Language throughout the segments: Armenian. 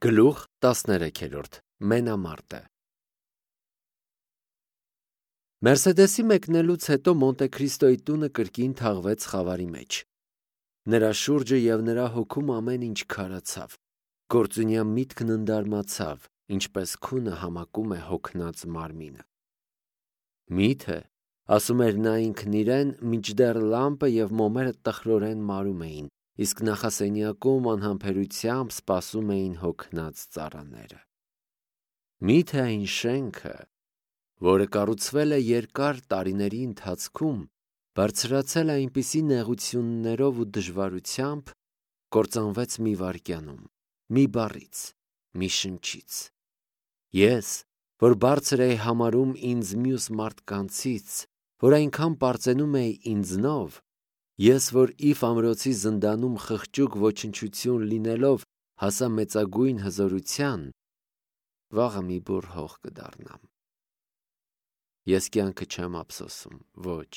Գլուխ 13 Մենամարտը Մերսեդեսի մեկնելուց հետո Մոնտե Քրիստոյի տունը կրկին թաղվեց խավարի մեջ։ Նրա շուրջը և նրա հոգում ամեն ինչ քարացավ։ Գործունյա միտքն ընդարմացավ, ինչպես քունը համակում է հոգնած մարմինը։ Միթե, ասում էր նա ինքն իրեն, մինչդեռ լամպը և մոմերը տխրորեն մարում էին, իսկ նախասենյակում անհամբերությամբ սպասում էին հոգնած ծառաները։ Միթե այն շենքը, որը կառուցվել է երկար տարիների ընթացքում, բարձրացել է այնպիսի նեղություններով ու դժվարությամբ, կործանվեց մի վայրկյանում, մի բառից, մի շնչից։ Ես, որ բարձր էի համարում ինձ մյուս մարդկանցից, որ այնքան պարծենում էի ինձնով, ես, որ Իֆ ամրոցի զնդանում խղճուկ ոչնչություն լինելով հասա մեծագույն հզորության, վաղը մի բուռ հող կդառնամ։ Ես կյանքը չեմ ափսոսում, ոչ։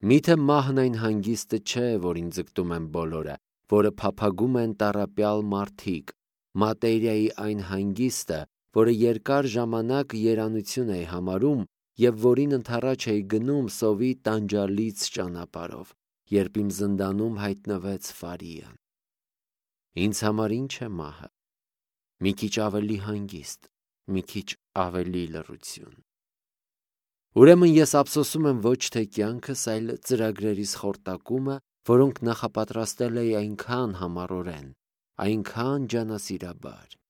Միթե մահն այն հանգիստը չէ, որին ձգտում են բոլորը, որը փափագում են տառապյալ մարդիկ, մատերիայի այն հանգիստը, որը երկար ժամանակ երանություն էի համարում և որին ընդառաջ էի գնում սովի տանջալից ճանապարհով, երբ իմ զնդանում հայտնվեց Ֆարիան։ Ինձ համար ինչ է մահը։ Մի քիչ ավելի հանգիստ, մի քիչ ավելի լռություն։ Ուրեմն ես ափսոսում եմ ոչ թե կյանքս, այլ ծրագրերիս խորտակումը, որոնք նախապատրաստել էի այնքան համառորեն, այնքան ջանասիրաբար։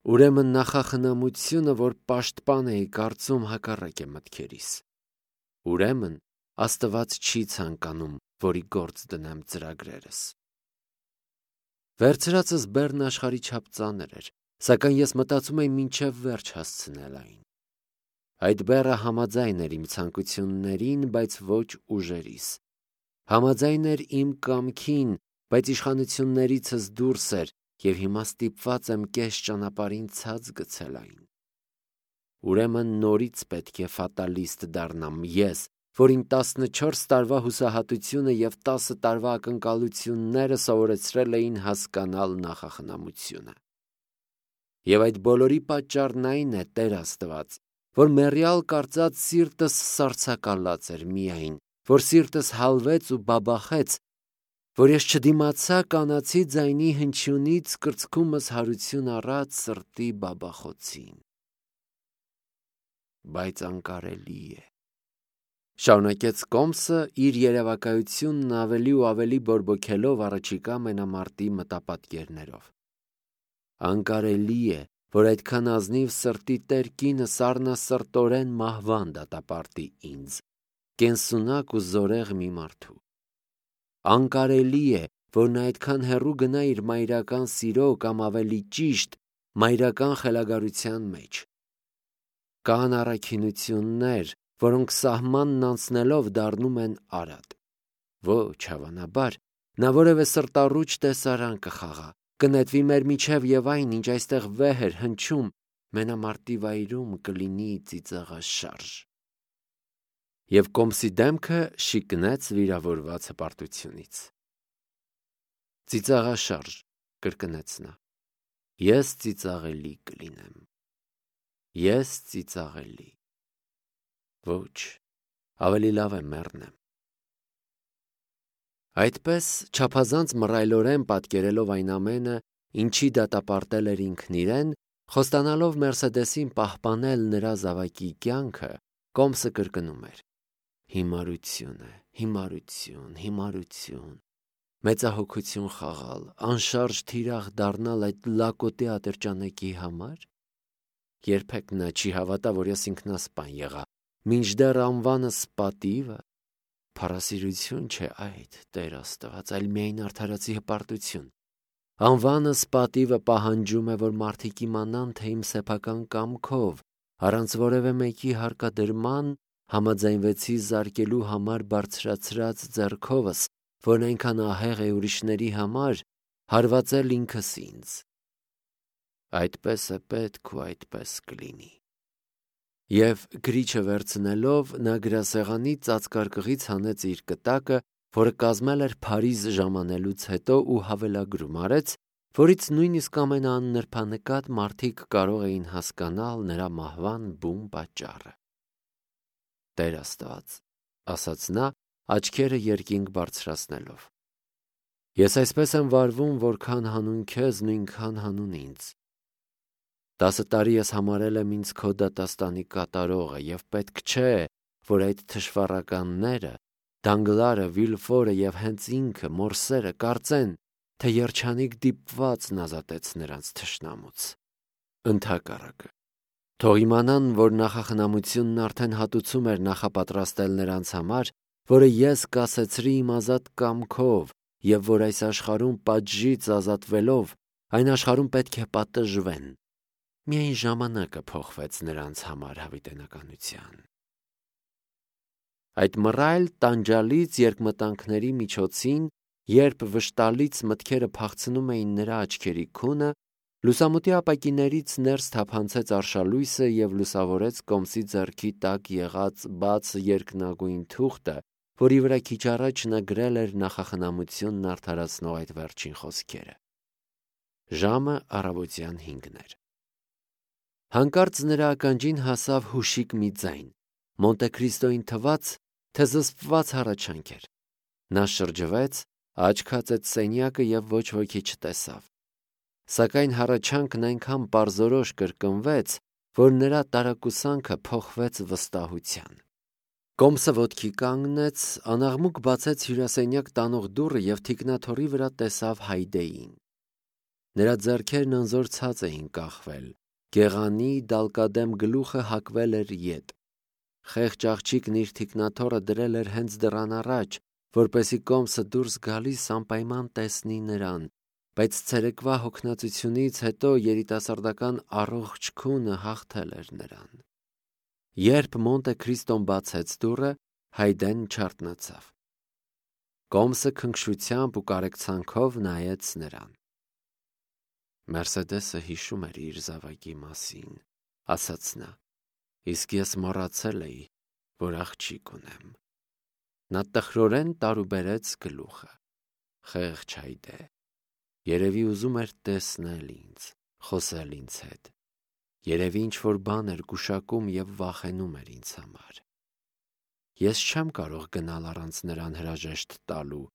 Ուրեմն նախախնամությունը, որ պաշտպան էի կարծում, հակառակ է մտքերիս։ Ուրեմն Աստված չի ցանկանում, որի գործ դնեմ ծրագրերս։ Վերցրածս բեռն աշխարհի չափ ծանր էր, սակայն ես մտածում էի մինչև վերջ հասցնել այն։ Այդ բեռը համաձայն էր իմ ցանկություններին, բայց ոչ ուժերիս։ Համաձայն էր իմ կամքին, բայց իշխանություններիցս դուրս էր, և հիմա ստիպված եմ կես ճանապարհին ցած գցել այն։ Ուրեմն նորից պետք է ֆատալիստ դառնամ ես, որին 14 տարվա հուսահատությունը և 10 տարվա ակնկալությունները սովորեցրել էին հասկանալ նախախնամությունը։ Եվ այդ բոլորի պատճառն այն է, Տեր Աստված, որ մեռյալ կարծած սիրտս սառցակալած էր միայն, որ սիրտս հալվեց ու բաբախեց, որ ես չդիմացա կանացի ձայնի հնչյունից կրծքումս հարություն առած սրտի բաբախոցին։ Բայց անկարելի է, շարունակեց Կոմսը իր երևակայությունն ավելի ու ավելի բորբոքելով առաջիկա մենամարտի մտապատկերներով։ Անկարելի է, որ այդքան ազնիվ սրտի տեր կինը սառնասրտորեն մահվան դատապարտի ինձ, կենսունակ ու զորեղ մի մարդու։ Անկարելի է, որ նա այդքան հեռու գնա իր մայրական սիրո կամ ավելի ճիշտ մայրական խելագարության մեջ։ Կան առաքինություններ, որոնք սահմանն անցնելով դառնում են արատ։ Ոչ, հավանաբար, նա որևէ սրտառուչ տեսարան կխաղա, կնետվի մեր միջև և այն, ինչ այստեղ վեհ էր հնչում, մենամարտի վայրում կլինի ծիծաղաշարժ։ Եվ Կոմսի դեմքը շիկնեց վիրավորված հպարտությունից։ Ծիծաղաշարժ, կրկնեց նա։ Ես ծիծաղելի կլինեմ։ Ես ծիծաղելի։ Ոչ, ավելի լավ է մեռնեմ։ Այդպես, չափազանց մռայլորեն պատկերելով այն ամենը, ինչի դատապարտել էր ինքն իրեն, խոստանալով Մերսեդեսին պահպանել նրա զավակի կյանքը, Կոմսը կրկնում էր. Հիմարություն է, հիմարություն, հիմարություն, մեծահոգություն խաղալ, անշարժ թիրախ դառնալ այդ լակոտի ատրճանակի համար։ Երբեք նա չի հավատա, որ ես ինքնասպան եղա, մինչդեռ անվանս պատիվը, փառասիրություն չէ այդ, Տեր Աստված, այլ միայն արդարացի հպարտություն։ Անվանս պատիվը պահանջում է, որ մարդիկ իմանան, թե իմ սեփական կամքով, առանց որևէ մեկի հարկադրման, համաձայնվեցի զարկելու համար բարձրացրած ձեռքովս, որն այնքան ահեղ է ուրիշների համար, հարվածել ինքս ինձ։ Այդպես է պետք ու այդպես կլինի։ Եվ գրիչը վերցնելով, նա գրասեղանի ծածկարկղից հանեց իր կտակը, որը կազմել էր Փարիզ ժամանելուց հետո ու հավելագրում արեց, որից նույնիսկ ամենանրբանկատ մարդիկ կարող էին հասկանալ նրա մահվան բուն պատճառը։ Տեր Աստված, ասաց նա, աչքերը երկինք բարձրացնելով, ես այսպես եմ վարվում, որքան հանուն քեզ, նույնքան հանուն ինձ։ 10 տարի ես համարել եմ ինձ քո դատաստանի կատարողը, և պետք չէ, որ այդ թշվառականները, Դանգլարը, Վիլֆորը և հենց ինքը, Մորսերը, կարծեն, թե երջանիկ դիպվածն ազատեց նրանց թշնամուց։ Ընդհակառակը, թող իմանան, որ նախախնամությունն արդեն հատուցում էր նախապատրաստել նրանց համար, որը ես կասեցրի իմ ազատ կամքով, և որ այս աշխարհում պատժից ազատվելով, այն աշխարհում պետք է պատժվեն։ Միայն ժամանակը փոխվեց նրանց համար հավիտենականության։ Այդ մռայլ տանջալից երկմտանքների միջոցին, երբ վշտալից մտքերը փախցնում էին նրա աչքերի քունը, լուսամուտի ապակիներից ներս թափանցեց արշալույսը և լուսավորեց Կոմսի ձեռքի տակ եղած բաց երկնագույն թուղթը, որի վրա քիչ առաջ նա գրել էր նախախնամությունն արդարացնող այդ վերջին խոսքերը։ Ժամը առավոտյան 5 էր։ Հանկարծ նրա ականջին հասավ հուշիկ մի ձայն։ Մոնտե Քրիստոյին թվաց, թե զսպված հառաչանք էր։ Նա շրջվեց, աչք հացեց սենյակը և ոչ ոքի չտեսավ։ Սակայն հառաչանքն այնքան պարզորոշ կրկնվեց, որ նրա տարակուսանքը փոխվեց վստահության։ Կոմսը ոտքի կանգնեց, անաղմուկ բացեց հյուրասենյակ տանող դուռը և թիկնաթոռի վրա տեսավ Հայդեին։ Նրա ձեռքերն անզոր ցած էին կախվել, գեղանի դալկադեմ գլուխը հակվել էր ետ։ Խեղճ աղջիկն իր թիկնաթոռը դրել էր հենց դռան առաջ, որպեսզի Կոմսը դուրս գալիս անպայման տեսնի նրան, բայց ցերեկվա հոգնածությունից հետո երիտասարդական առողջ քունը հաղթել էր նրան։ Երբ Մոնտե Քրիստոն բացեց դուռը, Հայդեն չարթնացավ։ Կոմսը քնքշությամբ ու կարեկցանքով նայեց նրան։ Մերսեդեսը հիշում էր իր զավակի մասին, ասաց նա, իսկ ես մոռացել էի, որ աղջիկ ունեմ։ Նա տխրորեն տարուբերեց գլուխը։ Խեղճ Հայդե, երևի ուզում էր տեսնել ինձ, խոսել ինձ հետ։ Երևի ինչ-որ բան էր գուշակում և վախենում էր ինձ համար։ Ես չեմ կարող գնալ առանց նրան հրաժեշտ տալու,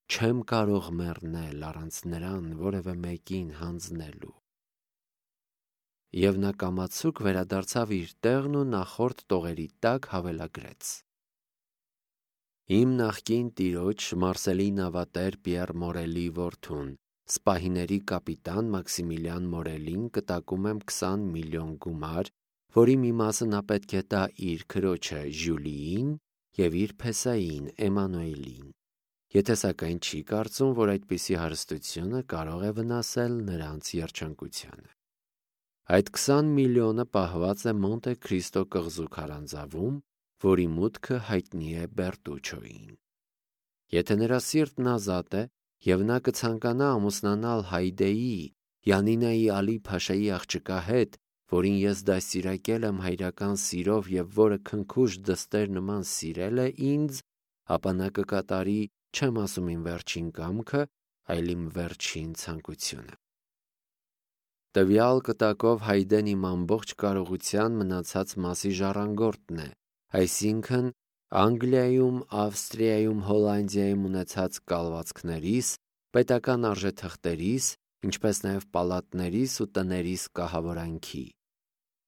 չեմ կարող մեռնել առանց նրան որևէ մեկին հանձնելու։ Եվ նա կամացուկ վերադարձավ իր տեղն ու նախորդ տողերի տակ հավելագրեց. Իմ նախկին տիրոջ Մարսելի նավատեր Պիեր Մորելի որդուն, սպահիների կապիտան Մաքսիմիլիան Մորելին կտակում եմ 20 միլիոն գումար, որի մի մասը նա պետք է տա իր քրոջը Ժյուլիին և իր փեսային Էմանուելին, եթե սակայն չի կարծում, որ այդպիսի հարստությունը կարող է վնասել նրանց երջանկությանը։ Այդ 20 միլիոնը պահված է Մոնտե Քրիստո կղզու քարանձավում, որի մուտքը հայտնի է Բերտուչոյին։ Եթե նրա սիրտն ազատ է, և նա կցանկանա ամուսնանալ Հայդեի, Յանինայի Ալի Փաշայի աղջկա հետ, որին ես դաստիարակել եմ հայրական սիրով և որը քնքուշ դստեր նման սիրել է ինձ, ապա նա կկատարի, չեմ ասում իմ վերջին կամքը, այլ իմ վերջին ցանկությունը։ Տվյալ կտակով Հայդեն իմ ամբողջ կարողության մնացած մասի ժառանգորդն է, այսինքն Անգլիայում, Ավստրիայում, Հոլանդիայում ունեցած կալվածքներիս, պետական արժեթղթերիս, ինչպես նաև պալատներիս ու տներիս կահավորանքի։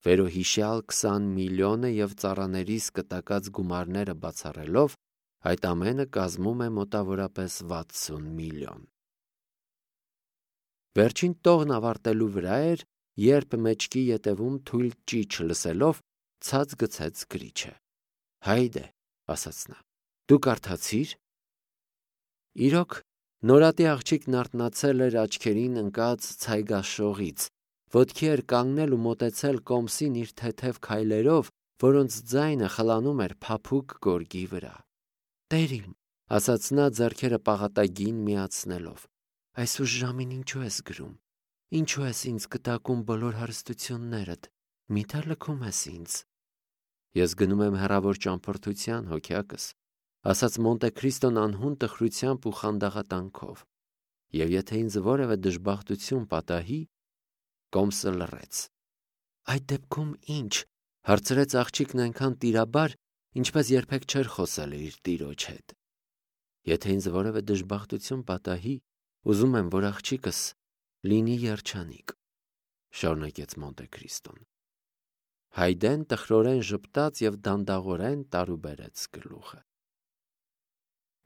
Վերոհիշյալ 20 միլիոնը և ծառաներիս կտակած գումարները բացառելով, այդ ամենը կազմում է մոտավորապես 60 միլիոն։ Վերջին տողն ավարտելու վրա էր, երբ մեջքի ետևում թույլ ճիչ լսելով, ցած գցեց գրիչը։ Հայդե, ասաց նա, դու կարդացի՞ր։ Իրոք, նորատի աղջիկն արթնացել էր աչքերին ընկած ցայգաշողից, ոտքի էր կանգնել ու մոտեցել Կոմսին իր թեթև քայլերով, որոնց ձայնը խլանում էր փափուկ գորգի վրա։ Տեր իմ, ասաց նա ձեռքերը պաղատագին միացնելով, այս ուշ ժամին ինչու ես գրում, ինչու ես ինձ կտակում բոլոր հարստություններդ, միթե լքում ես ինձ։ Ես գնում եմ հեռավոր ճամփորդության, հոգյակս, ասաց Մոնտե Քրիստոն անհուն տխրությամբ ու խանդաղատանքով։ Եվ եթե ինձ որևէ դժբախտություն պատահի, կոմսը լռեց։ Այդ դեպքում ի՞նչ, հարցրեց աղջիկն այնքան տիրաբար, ինչպես երբեք չէր խոսել իր տիրոջ հետ։ Եթե ինձ որևէ դժբախտություն պատահի, ուզում եմ, որ աղջիկս լինի երջանիկ, շարունակեց Մոնտե Քրիստոն։ Հայդեն տխրորեն ժպտաց և դանդաղորեն տարուբերեց գլուխը։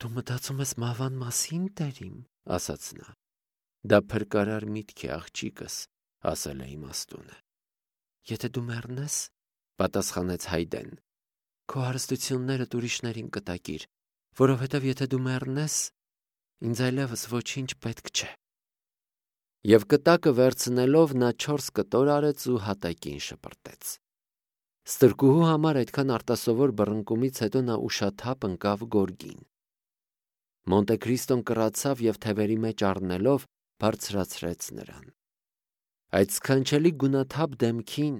Դու մտածում ես մահվան մասին, տերիմ, ասաց նա։ Դա փրկարար միտք է, աղջիկս, ասել է իմաստունը։ Եթե դու մեռնես, պատասխանեց Հայդեն, քո հարստություններդ ուրիշներին կտակիր, որովհետև եթե դու մեռնես, ինձ այլևս ոչինչ պետք չէ։ Եվ կտակը վերցնելով նա 4 կտոր արեց ու հատակին շպրտեց։ Ստրկուհու համար այդքան արտասովոր բռնկումից հետո նա ուշաթափ ընկավ գորգին։ Մոնտե Քրիստոն կռացավ և թևերի մեջ առնելով բարձրացրեց նրան։ Այդ սքանչելի գունաթափ դեմքին,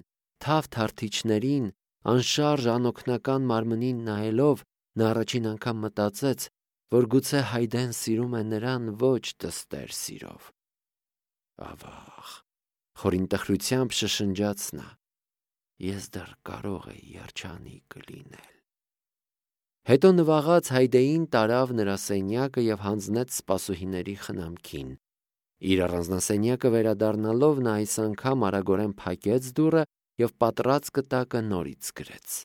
թավ թարթիչներին, անշարժ անօգնական մարմնին նայելով, նա առաջին անգամ մտածեց, որ գուցե Հայդեն սիրում է նրան ոչ դստեր սիրով։ Ավաղ, խորին տխրությամբ շշնջաց նա, ես դեռ կարող էի երջանիկ լինել։ Հետո նվաղած Հայդեին տարավ նրա սենյակը և հանձնեց սպասուհիների խնամքին։ Իր առանձնասենյակը վերադառնալով նա այս անգամ արագորեն փակեց դուռը և պատռած կտակը նորից գրեց։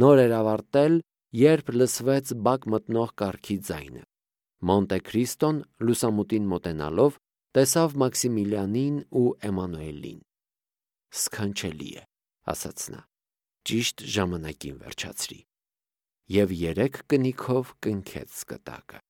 Նոր էր ավարտել, երբ լսվեց բակ մտնող կառքի ձայնը։ Մոնտե Քրիստոն լուսամուտին մոտենալով տեսավ Մաքսիմիլիանին ու Էմանուելին։ Սքանչելի է, ասաց նա, ճիշտ ժամանակին վերջացրի։ Եվ 3 կնիքով կնքեց կտակը։